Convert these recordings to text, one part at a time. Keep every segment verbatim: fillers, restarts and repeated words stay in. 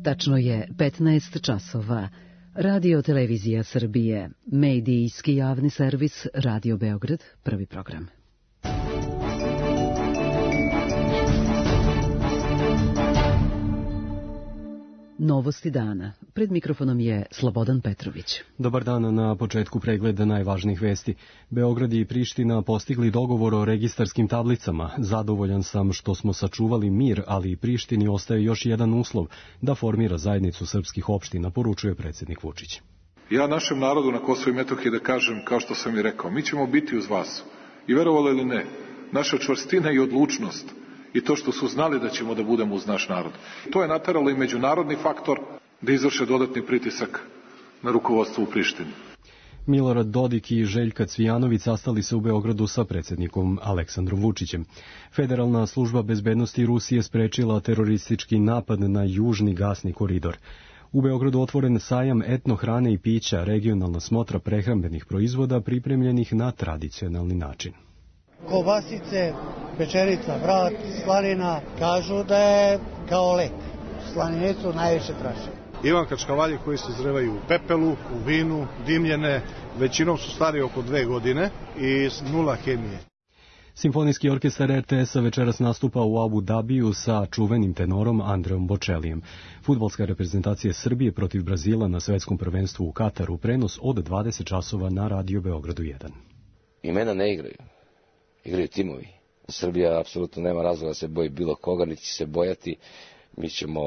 Tačno je petnaest časova. Radio Televizija Srbije, medijski javni servis Radio Beograd, prvi program. Novosti dana. Pred mikrofonom je Slobodan Petrović. Dobar dan, na početku pregleda najvažnijih vesti. Beograd i Priština postigli dogovor o registarskim tablicama. Zadovoljan sam što smo sačuvali mir, ali i Prištini ostaje još jedan uslov da formira zajednicu srpskih opština, poručuje predsjednik Vučić. Ja našem narodu na Kosovu i Metohiji da kažem, kao što sam i rekao, mi ćemo biti uz vas. I verovali ili ne, naša čvrstina i odlučnost i to što su znali da ćemo da budemo uz naš narod. To je nateralo i međunarodni faktor da izvrše dodatni pritisak na rukovodstvo u Prištini. Milorad Dodik i Željka Cvijanović sastali se u Beogradu sa predsjednikom Aleksandrom Vučićem. Federalna služba bezbednosti Rusije sprečila teroristički napad na južni gasni koridor. U Beogradu otvoren sajam etno hrane i pića, regionalna smotra prehrambenih proizvoda pripremljenih na tradicionalni način. Kobasice, pečerica, vrat, slanina, kažu da je kao lek. Slaninecu najviše traže. Ivanka čkavalje koji se zrevaju u pepelu, u vinu, dimljene, većinom su stari oko dve godine i nula hemije. Simfonijski orkestar er te es-a večeras nastupa u Abu Dabiju sa čuvenim tenorom Andreom Bočelijem. Fudbalska reprezentacija Srbije protiv Brazila na svetskom prvenstvu u Kataru, prenos od dvadeset časova na Radio Beogradu jedan. Imena ne igraju. Igraju timovi. Srbija apsolutno nema razloga da se boji bilo koga, niti će se bojati. Mi ćemo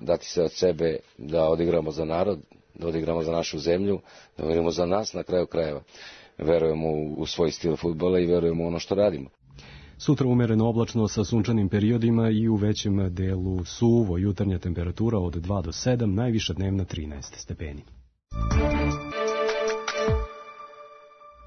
dati se od sebe da odigramo za narod, da odigramo za našu zemlju, da odigramo za nas na kraju krajeva. Verujemo u svoj stil fudbala i verujemo u ono što radimo. Sutra umereno oblačno sa sunčanim periodima i u većem delu suvo, jutarnja temperatura od dva do sedam, najviša dnevna trinaest stepeni.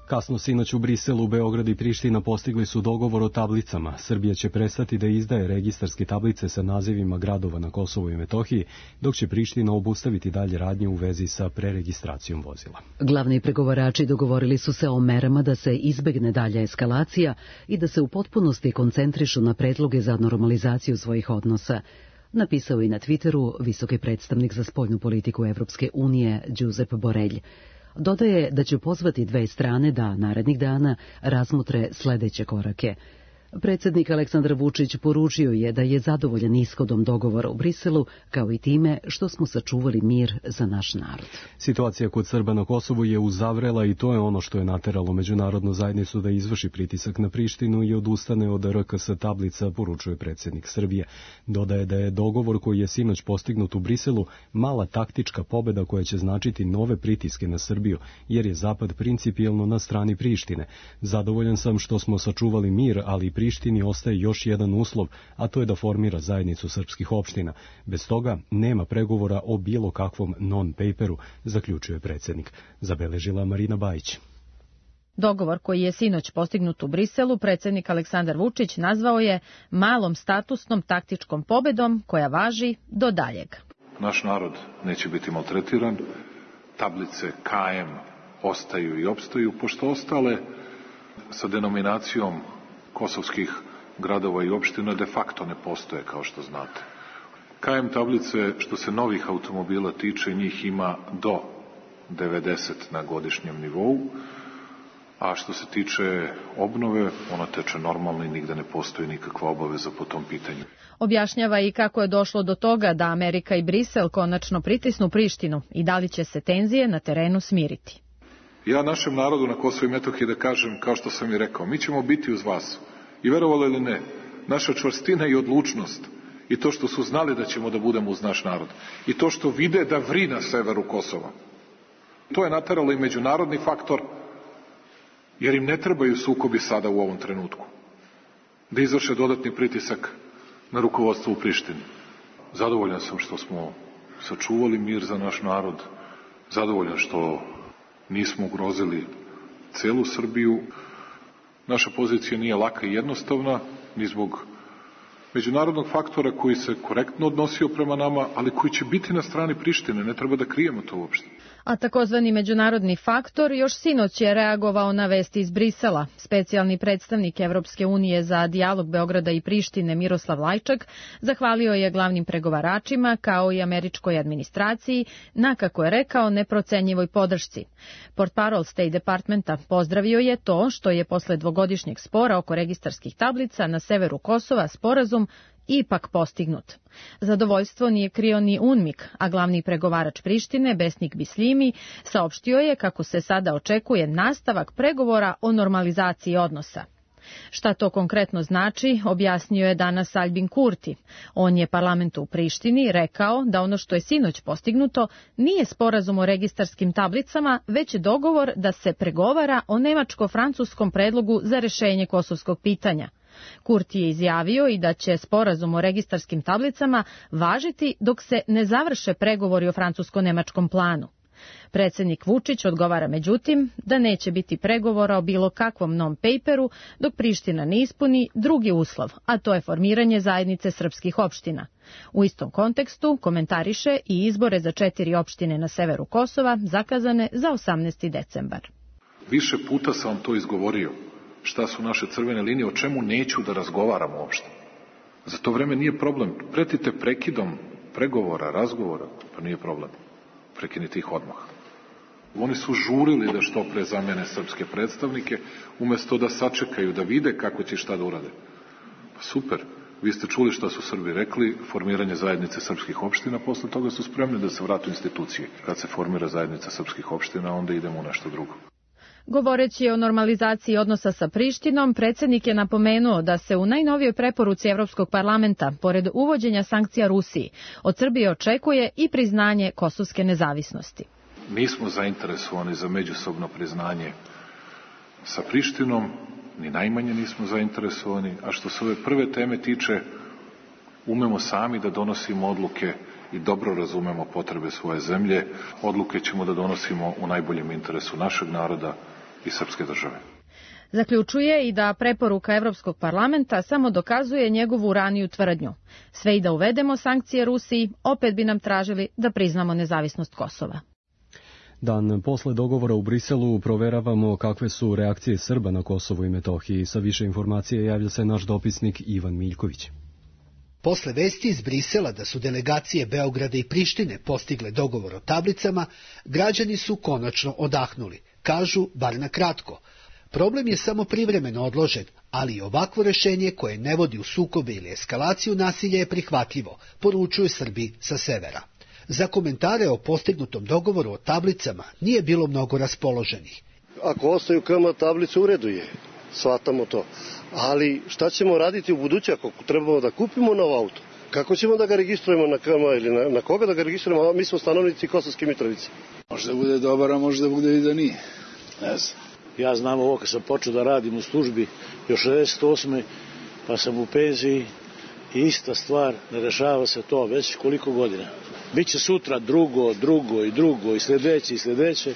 Kasno sinoć u Briselu, Beograd i Priština postigli su dogovor o tablicama. Srbija će prestati da izdaje registarske tablice sa nazivima gradova na Kosovu i Metohiji, dok će Priština obustaviti dalje radnje u vezi sa preregistracijom vozila. Glavni pregovarači dogovorili su se o merama da se izbegne dalja eskalacija i da se u potpunosti koncentrišu na predloge za normalizaciju svojih odnosa. Napisao i na Twitteru visoki predstavnik za spoljnu politiku Evropske unije Josep Borrell. Dodaje da će pozvati dve strane da narednih dana razmotre sledeće korake. Predsjednik Aleksandar Vučić poručio je da je zadovoljan ishodom dogovora u Briselu, kao i time što smo sačuvali mir za naš narod. Situacija kod Srba na Kosovu je uzavrela i to je ono što je nateralo međunarodnu zajednicu da izvrši pritisak na Prištinu i odustane od er ke es tablica, poručuje predsjednik Srbije. Dodaje da je dogovor koji je sinoć postignut u Briselu mala taktička pobeda koja će značiti nove pritiske na Srbiju, jer je Zapad principijelno na strani Prištine. Zadovoljan sam što smo sačuvali mir, ali Prištini ostaje još jedan uslov, a to je da formira zajednicu srpskih opština. Bez toga nema pregovora o bilo kakvom non-paperu, zaključuje predsjednik. Zabeležila Marina Bajić. Dogovor koji je sinoć postignut u Briselu, predsjednik Aleksandar Vučić nazvao je malom statusnom taktičkom pobedom koja važi do daljeg. Naš narod neće biti maltretiran, tablice ka em ostaju i opstaju, pošto ostale sa denominacijom kosovskih gradova i opština de facto ne postoje, kao što znate. ka em tablice, što se novih automobila tiče, njih ima do devedeset na godišnjem nivou, a što se tiče obnove, ona teče normalno i nigde ne postoji nikakva obaveza po tom pitanju. Objašnjava i kako je došlo do toga da Amerika i Brisel konačno pritisnu Prištinu i da li će se tenzije na terenu smiriti. Ja našem narodu na Kosovu i Metohiji da kažem, kao što sam i rekao, mi ćemo biti uz vas. I verovali ili ne, naša čvrstina i odlučnost i to što su znali da ćemo da budemo uz naš narod i to što vide da vri na severu Kosova. To je nateralo i međunarodni faktor, jer im ne trebaju sukobi sada u ovom trenutku. Da izvrše dodatni pritisak na rukovodstvo u Prištini. Zadovoljan sam što smo sačuvali mir za naš narod, zadovoljan što nismo ugrozili celu Srbiju. Naša pozicija nije laka i jednostavna, ni zbog međunarodnog faktora koji se korektno odnosio prema nama, ali koji će biti na strani Prištine, ne treba da krijemo to uopšte. A takozvani međunarodni faktor još sinoć je reagovao na vesti iz Brisela. Specijalni predstavnik Evropske unije za dijalog Beograda i Prištine Miroslav Lajčak zahvalio je glavnim pregovaračima kao i američkoj administraciji na, kako je rekao, neprocenjivoj podršci. Portparol State Departmenta pozdravio je to što je posle dvogodišnjeg spora oko registarskih tablica na severu Kosova sporazum ipak postignut. Zadovoljstvo nije krio ni UNMIK, a glavni pregovarač Prištine, Besnik Bislimi, saopštio je kako se sada očekuje nastavak pregovora o normalizaciji odnosa. Šta to konkretno znači, objasnio je danas Albin Kurti. On je parlamentu u Prištini rekao da ono što je sinoć postignuto nije sporazum o registarskim tablicama, već dogovor da se pregovara o nemačko-francuskom predlogu za rešenje kosovskog pitanja. Kurti je izjavio i da će sporazum o registarskim tablicama važiti dok se ne završe pregovori o francusko-nemačkom planu. Predsjednik Vučić odgovara međutim da neće biti pregovora o bilo kakvom non-paperu dok Priština ne ispuni drugi uslov, a to je formiranje zajednice srpskih opština. U istom kontekstu komentariše i izbore za četiri opštine na severu Kosova zakazane za osamnaesti decembar. Više puta sam vam to izgovorio. Šta su naše crvene linije, o čemu neću da razgovaram uopšte. Za to vreme nije problem. Pretite prekidom pregovora, razgovora, pa nije problem. Prekinite ih odmah. Oni su žurili da što pre zamene srpske predstavnike, umesto da sačekaju, da vide kako će šta da urade. Pa super, vi ste čuli šta su Srbi rekli, formiranje zajednice srpskih opština, posle toga su spremni da se vratu institucije. Kad se formira zajednica srpskih opština, onda idemo u nešto drugo. Govoreći o normalizaciji odnosa sa Prištinom, predsjednik je napomenuo da se u najnovijoj preporuci Evropskog parlamenta, pored uvođenja sankcija Rusiji, od Srbije očekuje i priznanje kosovske nezavisnosti. Nismo zainteresovani za međusobno priznanje sa Prištinom, ni najmanje nismo zainteresovani, a što se ove prve teme tiče, umemo sami da donosimo odluke i dobro razumemo potrebe svoje zemlje. Odluke ćemo da donosimo u najboljem interesu našeg naroda i srpske države. Zaključuje i da preporuka Evropskog parlamenta samo dokazuje njegovu raniju tvrdnju. Sve i da uvedemo sankcije Rusiji, opet bi nam tražili da priznamo nezavisnost Kosova. Dan posle dogovora u Briselu proveravamo kakve su reakcije Srba na Kosovu i Metohiji. Sa više informacije javlja se naš dopisnik Ivan Miljković. Posle vesti iz Brisela da su delegacije Beograda i Prištine postigle dogovor o tablicama, građani su konačno odahnuli, kažu bar na kratko. Problem je samo privremeno odložen, ali i ovakvo rešenje koje ne vodi u sukobe ili eskalaciju nasilja je prihvatljivo, poručuju Srbi sa severa. Za komentare o postignutom dogovoru o tablicama nije bilo mnogo raspoloženih. Ako ostaju K M tablice, u redu je, shvatamo to. Ali šta ćemo raditi u buduće ako trebamo da kupimo nov auto? Kako ćemo da ga registrujemo na K M ili na, na koga da ga registrujemo? Mi smo stanovnici Kosovske Mitrovice. Može da bude dobar, a može da bude i da nije. Ne znam. Ja znam ovo kad sam počeo da radim u službi još šezdeset osme pa sam u penziji i ista stvar, ne rešava se to već koliko godina. Biće sutra drugo, drugo i drugo i sledeće i sledeće,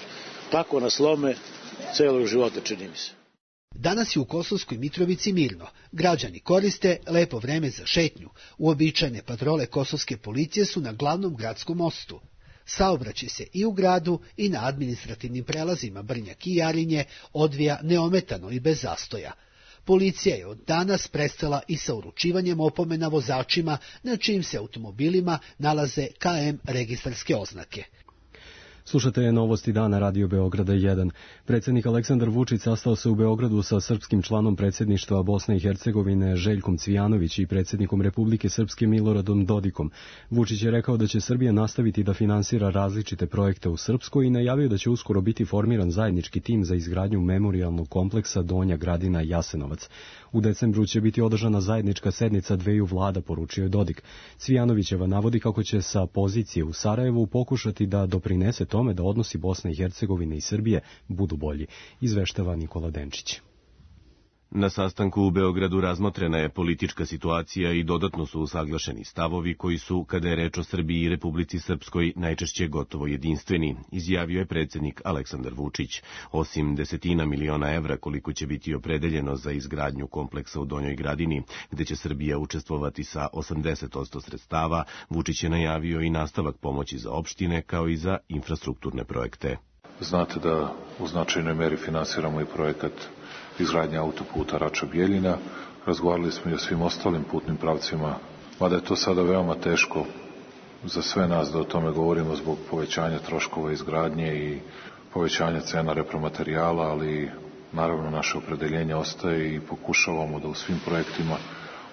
tako nas lome celog života, čini mi se. Danas je u Kosovskoj Mitrovici mirno. Građani koriste lepo vreme za šetnju. Uobičajene patrole kosovske policije su na glavnom gradskom mostu. Saobraćaj se i u gradu i na administrativnim prelazima Brnjak i Jarinje odvija neometano i bez zastoja. Policija je od danas prestala i sa uručivanjem opomena vozačima na čijim se automobilima nalaze K M registarske oznake. Slušate novosti dana Radio Beograda jedan. Predsjednik Aleksandar Vučić sastao se u Beogradu sa srpskim članom predsjedništva Bosne i Hercegovine Željkom Cvijanović i predsjednikom Republike Srpske Miloradom Dodikom. Vučić je rekao da će Srbija nastaviti da finansira različite projekte u Srpskoj i najavio da će uskoro biti formiran zajednički tim za izgradnju memorijalnog kompleksa Donja Gradina Jasenovac. U decembru će biti održana zajednička sednica dveju vlada, poručio je Dodik. Cvijanovićeva navodi kako će sa pozicije u Sarajevu pokušati da doprinese tome da odnosi Bosne i Hercegovine i Srbije budu bolji, izveštava Nikola Denčić. Na sastanku u Beogradu razmotrena je politička situacija i dodatno su usaglašeni stavovi koji su, kada je reč o Srbiji i Republici Srpskoj, najčešće gotovo jedinstveni, izjavio je predsjednik Aleksandar Vučić. Osim desetina miliona evra koliko će biti opredeljeno za izgradnju kompleksa u Donjoj Gradini, gde će Srbija učestvovati sa osamdeset posto sredstava, Vučić je najavio i nastavak pomoći za opštine kao i za infrastrukturne projekte. Znate da u značajnoj meri finansiramo i projekat izgradnje autoputa Rača-Bjeljina. Razgovarali smo i o svim ostalim putnim pravcima, mada je to sada veoma teško za sve nas da o tome govorimo zbog povećanja troškova izgradnje i povećanja cena repromaterijala, ali naravno naše opredeljenje ostaje i pokušavamo da u svim projektima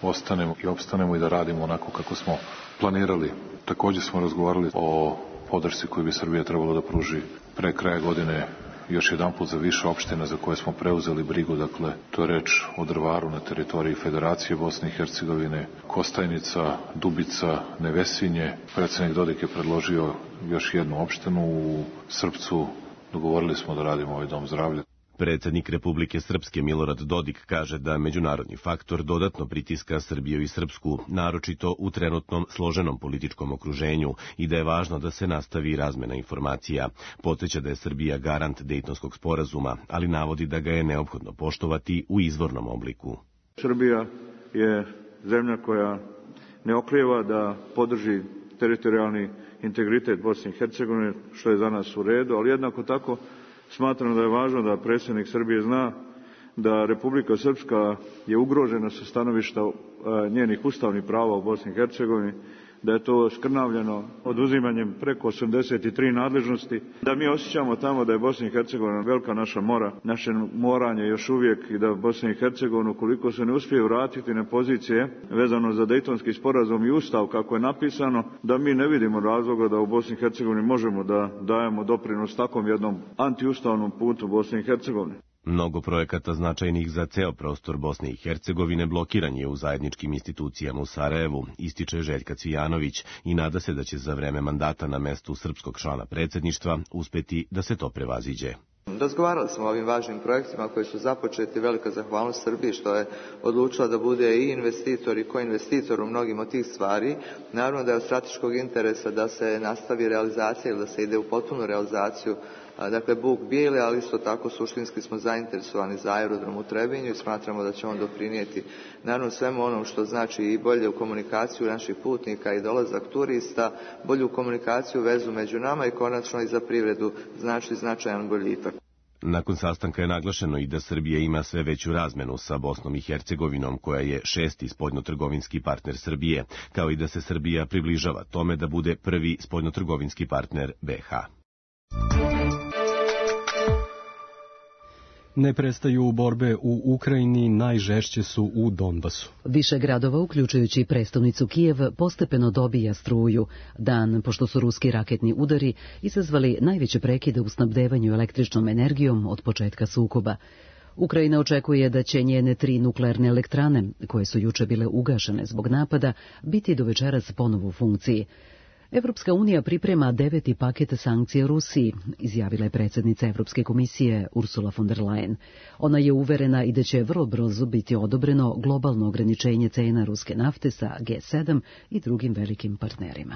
ostanemo i opstanemo i da radimo onako kako smo planirali. Također smo razgovarali o podršci koju bi Srbija trebalo da pruži pre kraja godine još jedan put za više opština za koje smo preuzeli brigu, dakle, to je reč o Drvaru na teritoriji Federacije Bosne i Hercegovine, Kostajnica, Dubica, Nevesinje. Predsjednik Dodik je predložio još jednu opštinu u Srpcu, dogovorili smo da radimo ovaj dom zdravlja. Predsjednik Republike Srpske Milorad Dodik kaže da međunarodni faktor dodatno pritiska Srbiju i Srpsku, naročito u trenutnom složenom političkom okruženju, i da je važno da se nastavi razmena informacija. Podsjeća da je Srbija garant Dejtonskog sporazuma, ali navodi da ga je neophodno poštovati u izvornom obliku. Srbija je zemlja koja ne oklijeva da podrži teritorijalni integritet Bosne i Hercegovine, što je za nas u redu, ali jednako tako smatram da je važno da predsjednik Srbije zna da Republika Srpska je ugrožena sa stanovišta njenih ustavnih prava u Bosni i Hercegovini, da je to skrnavljeno oduzimanjem preko osamdeset tri nadležnosti, da mi osjećamo tamo da je Bosna i Hercegovina velika naša mora, naše moranje još uvijek i da Bosna i Hercegovina, ukoliko se ne uspije vratiti na pozicije vezano za Dejtonski sporazum i ustav kako je napisano, da mi ne vidimo razloga da u Bosni i Hercegovini možemo da dajemo doprinos takvom jednom antiustavnom putu Bosne i Hercegovine. Mnogo projekata značajnih za ceo prostor Bosne i Hercegovine blokiran je u zajedničkim institucijama u Sarajevu, ističe Željka Cvijanović i nada se da će za vreme mandata na mestu srpskog člana predsjedništva uspeti da se to prevaziđe. Razgovarali smo o ovim važnim projektima koji su započeti. Velika zahvalnost Srbiji što je odlučila da bude i investitor i koinvestitor u mnogim od tih stvari. Naravno da je od strateškog interesa da se nastavi realizacija ili da se ide u potpunu realizaciju, dakle Buk Bijeli, ali isto tako suštinski smo zainteresovani za aerodrom u Trebinju i smatramo da će on doprinijeti naravno svemu onom što znači i bolju komunikaciju naših putnika i dolazak turista, bolju komunikaciju, vezu među nama i konačno i za privredu znači značajan boljitak. Nakon sastanka je naglašeno i da Srbija ima sve veću razmenu sa Bosnom i Hercegovinom, koja je šesti spoljnotrgovinski partner Srbije, kao i da se Srbija približava tome da bude prvi spoljnotrgovinski partner be ha. Ne prestaju borbe u Ukrajini, najžešće su u Donbasu. Više gradova, uključujući prestonicu Kijev, postepeno dobija struju, dan pošto su ruski raketni udari izazvali najveće prekide u snabdevanju električnom energijom od početka sukoba. Ukrajina očekuje da će njene tri nuklearne elektrane, koje su juče bile ugašene zbog napada, biti do večeras ponovo u funkciji. Evropska unija priprema deveti paket sankcija Rusiji, izjavila je predsjednica Evropske komisije Ursula von der Leyen. Ona je uverena i da će vrlo brzo biti odobreno globalno ograničenje cena ruske nafte sa ge sedam i drugim velikim partnerima.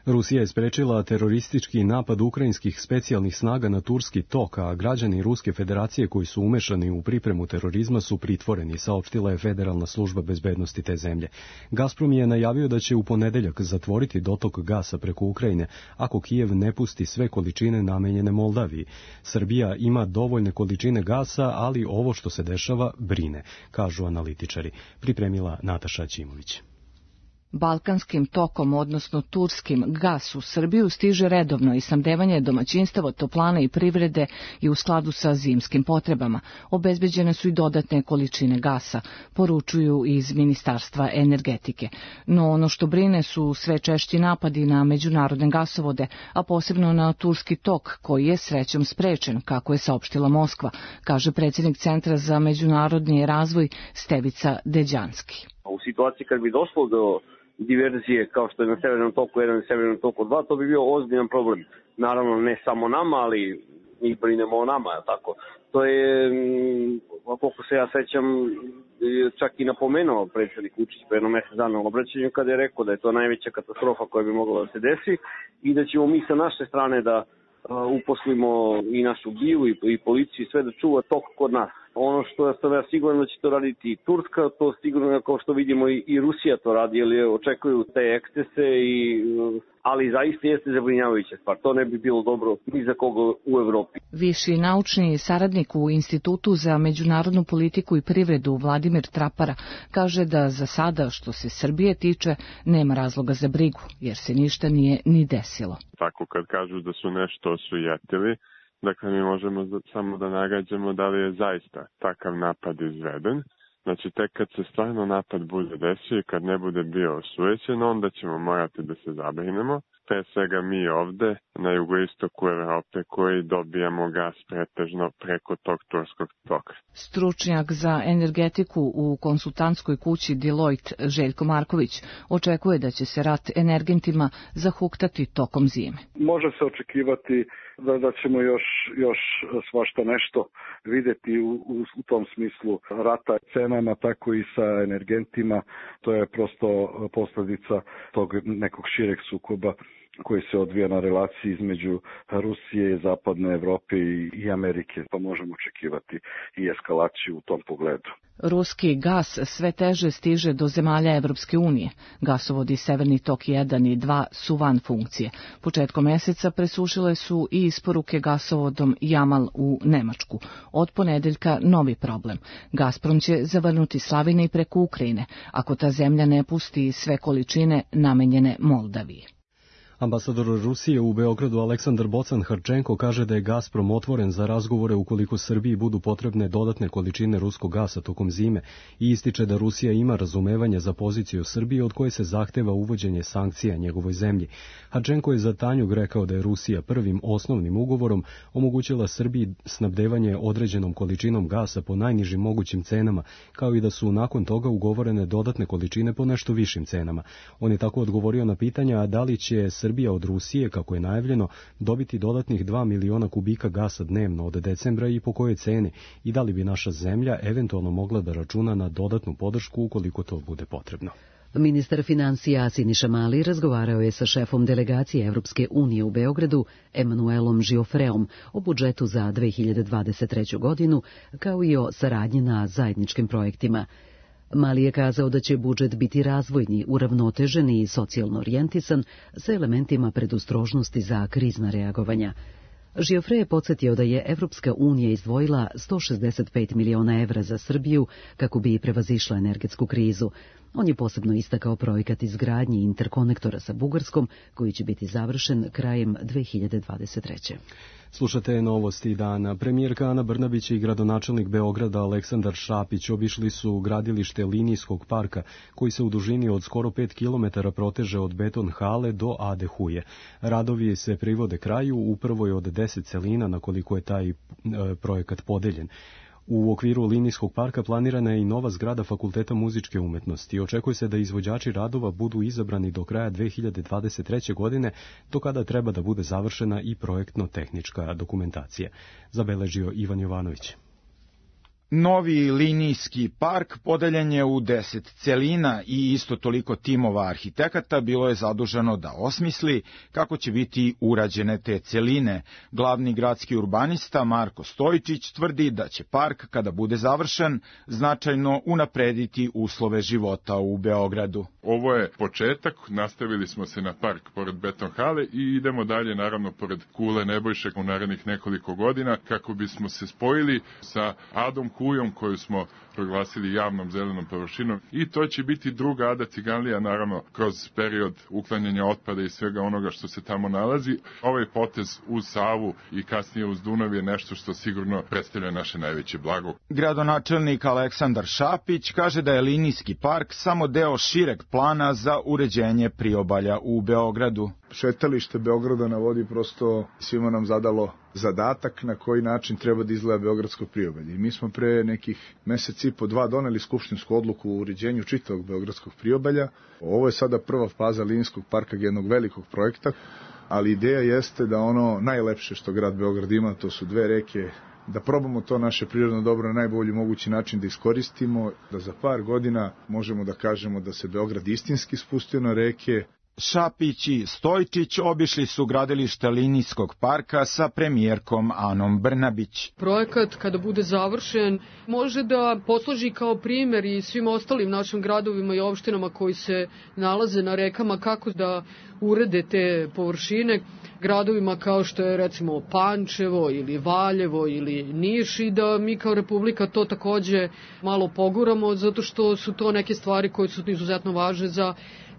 Rusija je sprečila teroristički napad ukrajinskih specijalnih snaga na turski tok, a građani Ruske federacije koji su umešani u pripremu terorizma su pritvoreni, saopštila je Federalna služba bezbednosti te zemlje. Gazprom je najavio da će u ponedeljak zatvoriti dotok gasa preko Ukrajine ako Kijev ne pusti sve količine namenjene Moldaviji. Srbija ima dovoljne količine gasa, ali ovo što se dešava brine, kažu analitičari. Pripremila Nataša Ćimović. Balkanskim tokom, odnosno turskim, gas u Srbiju stiže redovno i snabdevanje domaćinstava, toplana i privrede i u skladu sa zimskim potrebama. Obezbeđene su i dodatne količine gasa, poručuju iz Ministarstva energetike. No ono što brine su sve češći napadi na međunarodne gasovode, a posebno na turski tok, koji je srećom sprečen, kako je saopštila Moskva, kaže predsjednik Centra za međunarodni razvoj Stevica Deđanski. U situaciji kad bi došlo do diverzije kao što je na Severnom toku jedan i Severnom toku dva, to bi bio ozbiljan problem. Naravno ne samo nama, ali mi brinemo o nama, tako. To je, koliko se ja sećam, čak i napomenuo predsjednik Vučić pre jedno mesec dana u obraćanju kada je rekao da je to najveća katastrofa koja bi mogla da se desi i da ćemo mi sa naše strane da uposlimo i našu bilu i, i policiju i sve da čuva tok kod nas. Ono što sam ja siguran da će to raditi i Turska, to sigurno kao što vidimo i, i Rusija to radi, jer očekuju te ekscese, i, ali zaista jeste zabrinjavajuća stvar. To ne bi bilo dobro ni za koga u Evropi. Viši naučni saradnik u Institutu za međunarodnu politiku i privredu Vladimir Trapara kaže da za sada što se Srbije tiče nema razloga za brigu, jer se ništa nije ni desilo. Tako kad kažu da su nešto osujetili, dakle, mi možemo samo da nagađamo da li je zaista takav napad izveden. Znači, tek kad se stvarno napad bude desio i kad ne bude bio osujećen, onda ćemo morati da se zabrinemo. Pre svega mi ovde, na jugoistoku Evrope, koji dobijamo gas pretežno preko tog turskog toka. Stručnjak za energetiku u konsultantskoj kući Deloitte Željko Marković očekuje da će se rat energentima zahuktati tokom zime. Može se očekivati da, da ćemo još, još svašta nešto videti u, u, u tom smislu rata cenama, tako i sa energentima. To je prosto posljedica tog nekog šireg sukoba koji se odvija na relaciji između Rusije, Zapadne Evrope i Amerike, pa možemo očekivati i eskalaciju u tom pogledu. Ruski gas sve teže stiže do zemalja Evropske unije. Gasovodi Severni tok jedan i dva su van funkcije. Početkom meseca presušile su i isporuke gasovodom Jamal u Nemačku. Od ponedeljka novi problem. Gazprom će zavrnuti slavine i preko Ukrajine, ako ta zemlja ne pusti sve količine namenjene Moldaviji. Ambasador Rusije u Beogradu Aleksandar Bocan-Harčenko kaže da je Gazprom otvoren za razgovore ukoliko Srbiji budu potrebne dodatne količine ruskog gasa tokom zime i ističe da Rusija ima razumevanje za poziciju Srbije od koje se zahteva uvođenje sankcija njegovoj zemlji. Harčenko je za Tanjug rekao da je Rusija prvim osnovnim ugovorom omogućila Srbiji snabdevanje određenom količinom gasa po najnižim mogućim cenama, kao i da su nakon toga ugovorene dodatne količine po nešto višim cenama. On je tako odgovorio na pitanja da li će Srbija od Rusije, kako je najavljeno, dobiti dodatnih dva miliona kubika gasa dnevno od decembra i po kojoj ceni, i da li bi naša zemlja eventualno mogla da računa na dodatnu podršku ukoliko to bude potrebno. Ministar financija Siniša Mali razgovarao je sa šefom delegacije Evropske unije u Beogradu, Emanuelom Žiofreom, o budžetu za dve hiljade dvadeset treću godinu, kao i o saradnji na zajedničkim projektima. Mali je kazao da će budžet biti razvojni, uravnotežen i socijalno orijentisan sa elementima predostrožnosti za krizna reagovanja. Žiofre je podsjetio da je Evropska unija izdvojila sto šezdeset pet miliona evra za Srbiju kako bi prevazišla energetsku krizu. On je posebno istakao projekat izgradnje interkonektora sa Bugarskom, koji će biti završen krajem dve hiljade dvadeset treće. Slušate novosti dana. Premijerka Ana Brnabić i gradonačelnik Beograda Aleksandar Šapić obišli su gradilište linijskog parka, koji se u dužini od skoro pet kilometara proteže od Beton hale do Ade Huje. Radovi se privode kraju u prvoj od deset celina na koliko je taj e, projekat podeljen. U okviru linijskog parka planirana je i nova zgrada Fakulteta muzičke umetnosti. Očekuje se da izvođači radova budu izabrani do kraja dve hiljade dvadeset treće. godine, do kada treba da bude završena i projektno-tehnička dokumentacija. Zabeležio Ivan Jovanović. Novi linijski park podeljen je u deset celina i isto toliko timova arhitekata bilo je zaduženo da osmisli kako će biti urađene te celine. Glavni gradski urbanista Marko Stojičić tvrdi da će park, kada bude završen, značajno unaprediti uslove života u Beogradu. Ovo je početak, nastavili smo se na park pored Beton hale i idemo dalje, naravno, pored Kule Nebojše u narednih nekoliko godina, kako bismo se spojili sa Adom Kujom, koju smo proglasili javnom zelenom površinom, i to će biti druga Ada Ciganlija, naravno, kroz period uklanjanja otpada i svega onoga što se tamo nalazi. Ovaj potez uz Savu i kasnije uz Dunav je nešto što sigurno predstavlja naše najveće blago. Gradonačelnik Aleksandar Šapić kaže da je linijski park samo deo šireg plana za uređenje priobalja u Beogradu. Šetalište Beograda na vodi prosto svima nam zadalo zadatak na koji način treba da izgleda Beogradsko priobalje. I mi smo pre nekih mesec i po dva doneli skupštinsku odluku o uređenju čitavog Beogradskog priobalja. Ovo je sada prva faza linijskog parka jednog velikog projekta, ali ideja jeste da ono najlepše što grad Beograd ima, to su dve reke, da probamo to naše prirodno dobro na najbolji mogući način da iskoristimo, da za par godina možemo da kažemo da se Beograd istinski spustio na reke. Šapić i Stojčić obišli su gradilište linijskog parka sa premijerkom Anom Brnabić. Projekat kada bude završen može da posluži kao primjer i svim ostalim našim gradovima i opštinama koji se nalaze na rekama kako da urede te površine, gradovima kao što je recimo Pančevo ili Valjevo ili Niš, i da mi kao Republika to takođe malo poguramo, zato što su to neke stvari koje su izuzetno važne za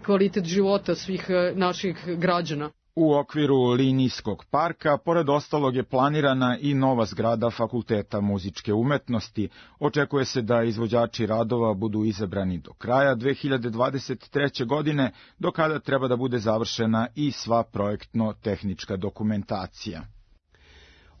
kvalitet života svih naših građana. U okviru linijskog parka, pored ostalog, je planirana i nova zgrada Fakulteta muzičke umetnosti. Očekuje se da izvođači radova budu izabrani do kraja dve hiljade dvadeset treće. godine, do kada treba da bude završena i sva projektno-tehnička dokumentacija.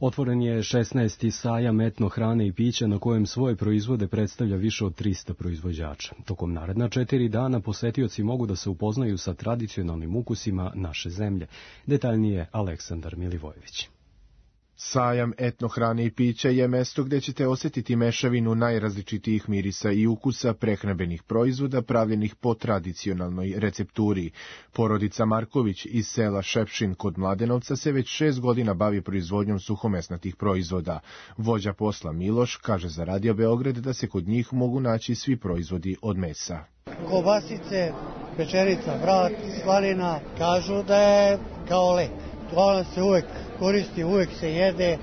Otvoren je šesnaesti sajam etno hrane i pića na kojem svoje proizvode predstavlja više od trista proizvođača. Tokom naredna četiri dana posetioci mogu da se upoznaju sa tradicionalnim ukusima naše zemlje. Detaljnije Aleksandar Milivojević. Sajam etno hrane i pića je mesto gde ćete osjetiti mešavinu najrazličitijih mirisa i ukusa prehrambenih proizvoda pravljenih po tradicionalnoj recepturi. Porodica Marković iz sela Šepšin kod Mladenovca se već šest godina bavi proizvodnjom suhomesnatih proizvoda. Vođa posla Miloš kaže za Radio Beograd da se kod njih mogu naći svi proizvodi od mesa. Kobasice, pečerica, vrat, slanina, kažu da je kao lek. To se uvek koristi, uvek se jede,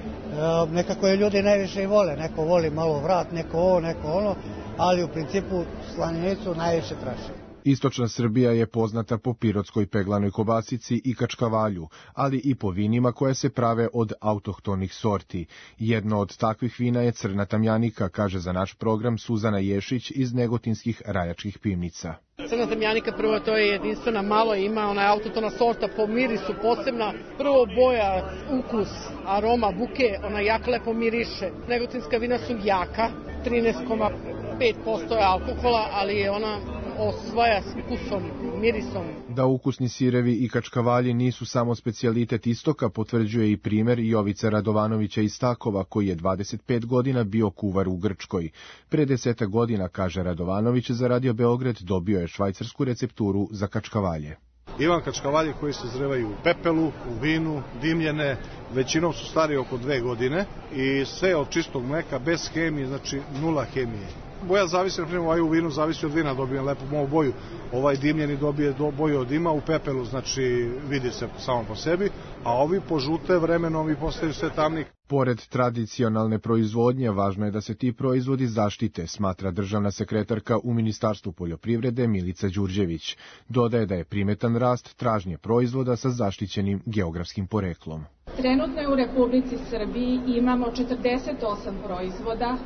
nekako je ljudi najviše i vole, neko voli malo vrat, neko ovo, neko ono, ali u principu slaninicu najviše traže. Istočna Srbija je poznata po pirotskoj peglanoj kobasici i kačkavalju, ali i po vinima koje se prave od autohtonih sorti. Jedno od takvih vina je Crna tamjanika, kaže za naš program Suzana Ješić iz negotinskih rajačkih pivnica. Crna tamjanika, prvo, to je jedinstvena, malo ima, ona je autotona sorta, po mirisu posebna, prvo boja, ukus, aroma, buke, ona jako lepo miriše. Negotinska vina su jaka, trinaest zarez pet posto je alkohola, ali je ona osvaja s ukusom, mirisom. Da ukusni sirevi i kačkavalji nisu samo specijalitet istoka, potvrđuje i primer Jovica Radovanovića iz Stakova, koji je dvadeset pet godina bio kuvar u Grčkoj. Pre desetak godina, kaže Radovanović, za Radio Beograd dobio je švajcarsku recepturu za kačkavalje. Imam kačkavalje koji se zrevaju u pepelu, u vinu, dimljene, većinom su stari oko dve godine i sve od čistog mleka, bez hemije, znači nula hemije. Boja zavisi, na primjer, ovaj u vinu zavisi od vina, dobijem lepu moju boju, ovaj dimljeni dobije do boju od dima, u pepelu, znači vidi se samo po sebi, a ovi požute vremenom i postaju sve tamni. Pored tradicionalne proizvodnje, važno je da se ti proizvodi zaštite, smatra državna sekretarka u Ministarstvu poljoprivrede Milica Đurđević. Dodaje da je primetan rast tražnje proizvoda sa zaštićenim geografskim poreklom. Trenutno u Republici Srbiji imamo četrdeset osam proizvoda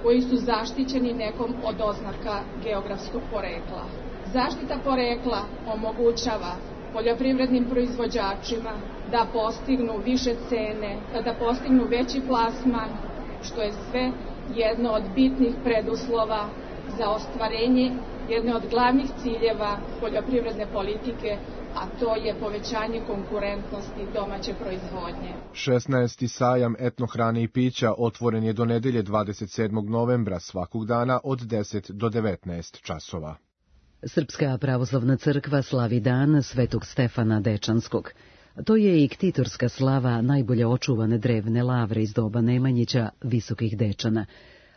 koji su zaštićeni nekom od oznaka geografskog porekla. Zaštita porekla omogućava poljoprivrednim proizvođačima da postignu više cene, da postignu veći plasman, što je sve jedno od bitnih preduslova za ostvarenje jedne od glavnih ciljeva poljoprivredne politike, a to je povećanje konkurentnosti domaće proizvodnje. šesnaesti sajam etno hrane i pića otvoren je do nedelje dvadeset sedmog novembra svakog dana od deset do devetnaest časova. Srpska pravoslavna crkva slavi dan Svetog Stefana Dečanskog. To je i ktitorska slava najbolje očuvane drevne lavre iz doba Nemanjića, Visokih Dečana.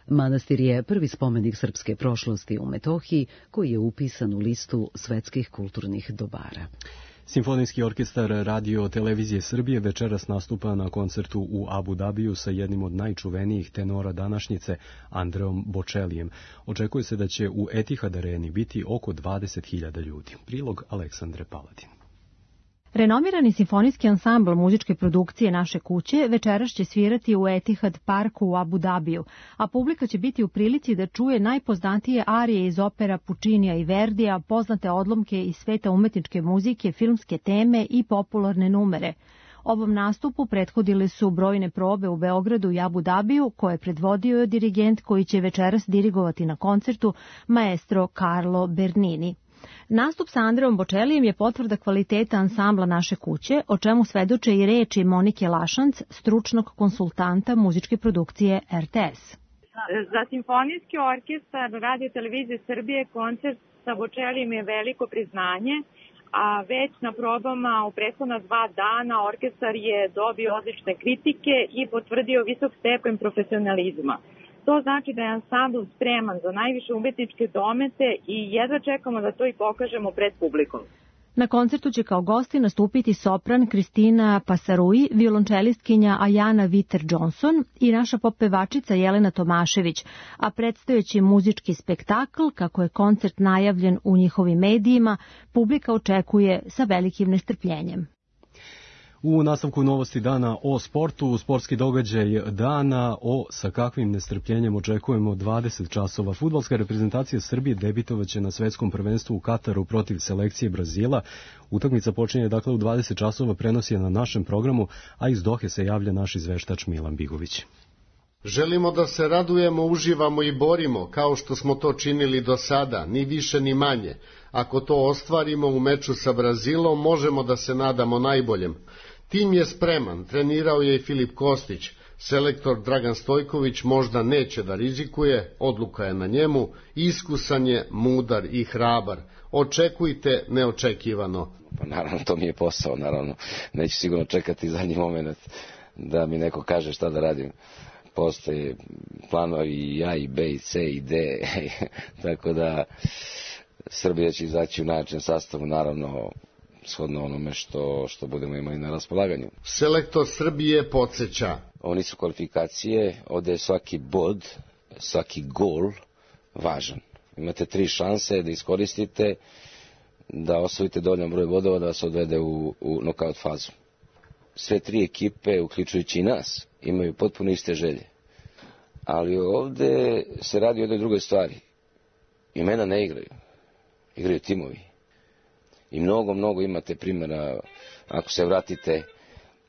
Manastir je prvi spomenik srpske prošlosti u Metohiji, koji je upisan u listu svetskih kulturnih dobara. Simfonijski orkestar Radio Televizije Srbije večeras nastupa na koncertu u Abu Dabiju sa jednim od najčuvenijih tenora današnjice, Andreom Bočelijem. Očekuje se da će u Etihad Areni biti oko dvadeset hiljada ljudi. Prilog Aleksandre Paladin. Renomirani simfonijski ansambl muzičke produkcije Naše kuće večeras će svirati u Etihad parku u Abu Dabiju, a publika će biti u prilici da čuje najpoznatije arije iz opera Pučinija i Verdija, poznate odlomke iz sveta umetničke muzike, filmske teme i popularne numere. Ovom nastupu prethodile su brojne probe u Beogradu i Abu Dabiju, koje je predvodio je dirigent koji će večeras dirigovati na koncertu, maestro Carlo Bernini. Nastup sa Andreom Bočelijem je potvrda kvaliteta ansambla Naše kuće, o čemu svedoče i reči Monike Lašanc, stručnog konsultanta muzičke produkcije R T S. Za simfonijski orkestar Radio Televizije Srbije koncert sa Bočelijem je veliko priznanje, a već na probama u prethodna dva dana orkestar je dobio odlične kritike i potvrdio visok stepen profesionalizma. To znači da je ansambl spreman za najviše umetničke domete i jedva čekamo da to i pokažemo pred publikom. Na koncertu će kao gosti nastupiti sopran Kristina Pasarui, violončelistkinja Ajana Viter-Johnson i naša pop pevačica Jelena Tomašević, a predstojeći muzički spektakl, kako je koncert najavljen u njihovim medijima, publika očekuje sa velikim nestrpljenjem. U nastavku novosti dana o sportu, sportski događaj dana o sa kakvim nestrpljenjem očekujemo dvadeset časova. Fudbalska reprezentacija Srbije debitovaće na svetskom prvenstvu u Kataru protiv selekcije Brazila. Utakmica počinje dakle u dvadeset časova, prenosi je na našem programu, a iz Dohe se javlja naš izveštač Milan Bigović. Želimo da se radujemo, uživamo i borimo, kao što smo to činili do sada, ni više ni manje. Ako to ostvarimo u meču sa Brazilom, možemo da se nadamo najboljem. Tim je spreman, trenirao je i Filip Kostić. Selektor Dragan Stojković možda neće da rizikuje, odluka je na njemu, iskusan je, mudar i hrabar. Očekujte neočekivano. Pa naravno, to mi je posao, naravno. Neću sigurno čekati zadnji moment da mi neko kaže šta da radim. Postoje planovi i A, i B, i C, i D, tako da Srbija će izaći u najjačem sastavu, naravno, shodno onome što, što budemo imali na raspolaganju. Selektor Srbije podsjeća. Ovo nisu kvalifikacije, ovde je svaki bod, svaki gol važan. Imate tri šanse da iskoristite, da osvojite dovoljan broj bodova da vas odvede u, u nokaut fazu. Sve tri ekipe, uključujući i nas, imaju potpuno iste želje. Ali ovde se radi o jednoj drugoj stvari. Imena ne igraju. Igraju timovi. I mnogo, mnogo imate primjera, ako se vratite,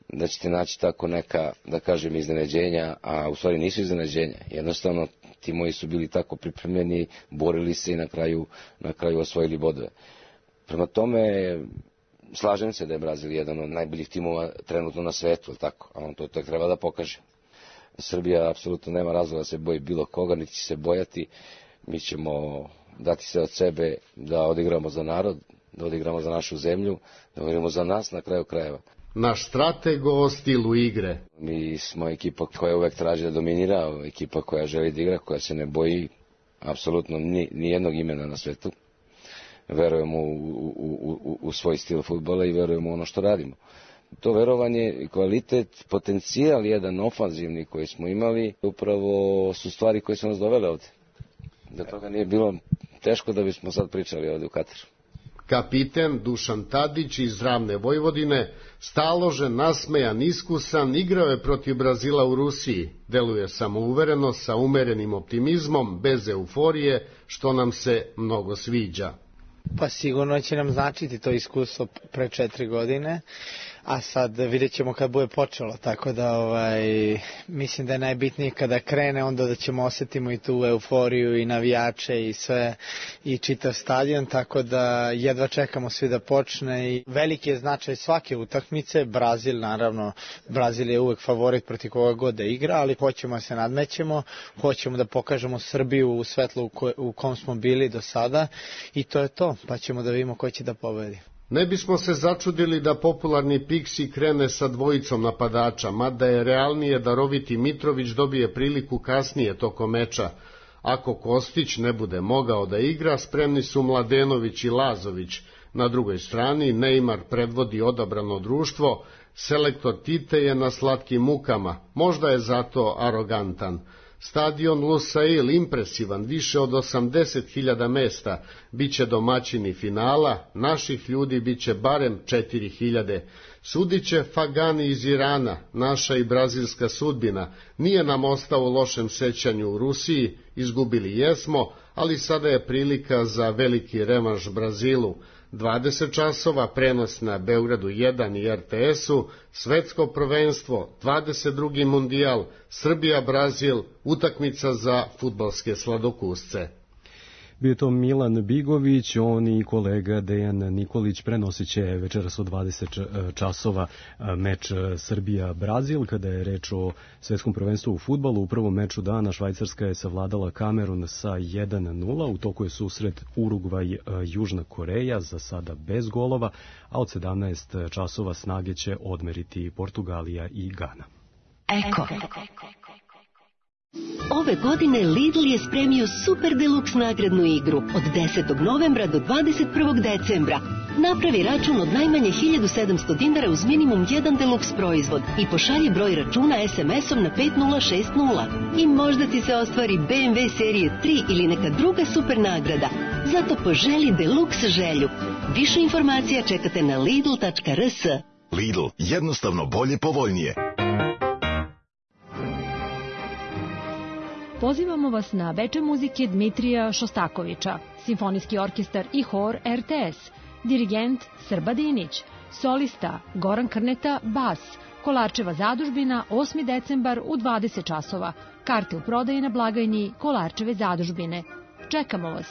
da ćete naći tako neka, da kažem, iznenađenja, a u stvari nisu iznenađenja. Jednostavno, timovi su bili tako pripremljeni, borili se i na kraju, na kraju osvojili bodove. Prema tome, slažem se da je Brazil jedan od najboljih timova trenutno na svetu, tako? A on to tek treba da pokaže. Srbija apsolutno nema razloga da se boji bilo koga, niti će se bojati. Mi ćemo dati se od sebe da odigramo za narod, da odigramo za našu zemlju, da odigramo za nas na kraju krajeva. Naš strateg o stilu igre. Mi smo ekipa koja uvek traži da dominira, ekipa koja želi da igra, koja se ne boji apsolutno ni, ni jednog imena na svetu. Verujemo u, u, u, u svoj stil fudbala i verujemo u ono što radimo. To verovanje i kvalitet, potencijal jedan ofanzivni koji smo imali, upravo su stvari koje su nas dovele ovde. Da toga nije bilo teško da bismo sad pričali ovde u Kataru. Kapiten Dušan Tadić iz Ravne Vojvodine, staložen, nasmejan, iskusan, igrao je protiv Brazila u Rusiji. Deluje samouvereno, sa umerenim optimizmom, bez euforije, što nam se mnogo sviđa. Pa sigurno će nam značiti to iskustvo pre četiri godine, a sad vidjet ćemo kad bude počelo, tako da ovaj, mislim da je najbitnije kada krene, onda da ćemo osetimo i tu euforiju i navijače i sve i čitav stadion, tako da jedva čekamo svi da počne i veliki je značaj svake utakmice. Brazil, naravno, Brazil je uvek favorit protiv koga god da igra, ali hoćemo da se nadmećemo, hoćemo da pokažemo Srbiju u svetlu u, ko, u kom smo bili do sada i to je to, pa ćemo da vidimo ko će da pobedi. Ne bismo se začudili da popularni Piksi krene sa dvojicom napadača, mada je realnije da Roviti Mitrović dobije priliku kasnije tokom meča. Ako Kostić ne bude mogao da igra, spremni su Mladenović i Lazović. Na drugoj strani Neymar predvodi odabrano društvo, selektor Tite je na slatkim mukama, možda je zato arogantan. Stadion Lusail impresivan, više od osamdeset hiljada mesta, biće domaćini finala, naših ljudi biće barem četiri hiljade. Sudiće Fagani iz Irana, naša i brazilska sudbina, nije nam ostao u lošem sećanju u Rusiji, izgubili jesmo, ali sada je prilika za veliki revanš Brazilu. dvadeset časova prenos na Beogradu jedan i R T S-u, svetsko prvenstvo, dvadeset drugi mundijal, Srbija-Brazil, utakmica za fudbalske sladokusce. Bio je to Milan Bigović, on i kolega Dejan Nikolić prenosit će večeras od dvadeset časova meč Srbija-Brazil. Kada je reč o svetskom prvenstvu u fudbalu, u prvom meču dana Švajcarska je savladala Kamerun sa jedan nula, u toku je susret Urugvaj-Južna Koreja, za sada bez golova, a od sedamnaest časova snage će odmeriti Portugalija i Gana. Eko. Ove godine Lidl je spremio Super Deluxe nagradnu igru od desetog novembra do dvadeset prvog decembra. Napravi račun od najmanje hiljadu sedamsto dinara uz minimum jedan Deluxe proizvod i pošalji broj računa es em esom na pet nula šest nula. I možda ti se ostvari be em ve serije tri ili neka druga super nagrada. Zato poželi Deluxe želju. Više informacija čekate na lidl tačka r s. Lidl, jednostavno bolje, povoljnije. Pozivamo vas na veče muzike Dmitrija Šostakovića, simfonijski orkestar i hor er te es, dirigent Srba Dinić, solista Goran Krneta, bas, Kolarčeva zadužbina, osmi decembar u dvadeset časova, karte u prodaji na blagajni Kolarčeve zadužbine. Čekamo vas!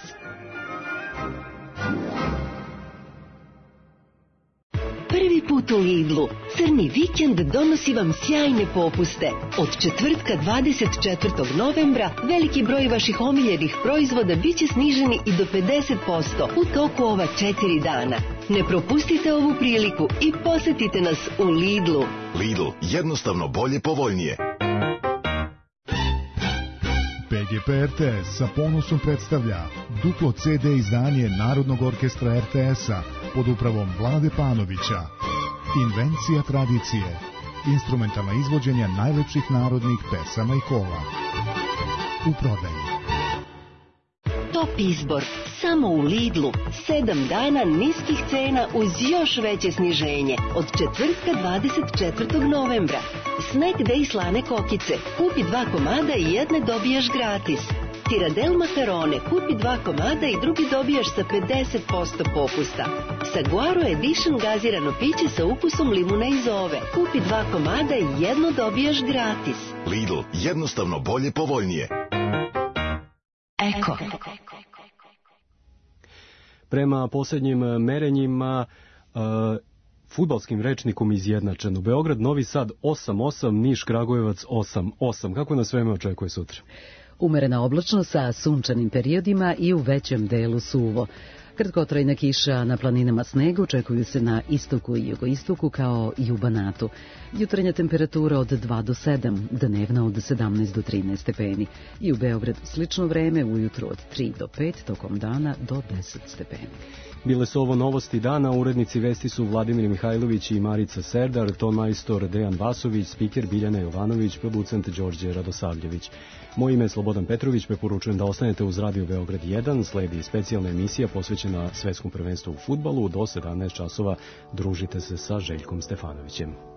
Prvi put u Lidlu. Crni vikend donosi vam sjajne popuste. Od četvrtka dvadeset četvrtog novembra veliki broj vaših omiljenih proizvoda biće sniženi i do pedeset posto u toku ova četiri dana. Ne propustite ovu priliku i posetite nas u Lidlu. Lidl, jednostavno bolje, povoljnije. P G P R T S sa ponosom predstavlja duplo ce de izdanje Narodnog orkestra er te es-a pod upravom Vlade Panovića. Invencija tradicije. Instrumentalna izvođenja najlepših narodnih pesama i kola. U prodaji. Top izbor. Samo u Lidlu. Sedam dana niskih cena uz još veće sniženje. Od četvrtka dvadeset četvrtog novembra. Snack Day slane kokice. Kupi dva komada i jedne dobijaš gratis. Tiradel makarone. Kupi dva komada i drugi dobijaš sa pedeset posto popusta. Saguaro Edition gazirano piće sa ukusom limuna i zove. Kupi dva komada i jedno dobijaš gratis. Lidl, jednostavno bolje, povoljnije. Eko. Prema posljednjim merenjima, uh, fudbalskim rečnikom izjednačeno. Beograd, Novi Sad osam osam, Niš, Kragujevac osam osam. Kako nas vreme očekuje sutra? Umerena oblačnost sa sunčanim periodima i u većem delu suvo. Kratkotrajna kiša, na planinama sneg očekuju se na istoku i jugoistoku kao i u Banatu. Jutrenja temperatura od dva do sedam, dnevna od sedamnaest do trinaest stepeni. I u Beogradu slično vreme, ujutru od tri do pet, tokom dana do deset stepeni. Bile su ovo novosti dana, urednici vesti su Vladimir Mihajlović i Marica Serdar, ton majstor Dejan Vasović, spiker Biljana Jovanović, producent Đorđe Radosavljević. Moje ime je Slobodan Petrović, preporučujem da ostanete uz Radio Beograd jedan, sledi specijalna emisija posvećena svetskom prvenstvu u fudbalu, do sedamnaest časova družite se sa Željkom Stefanovićem.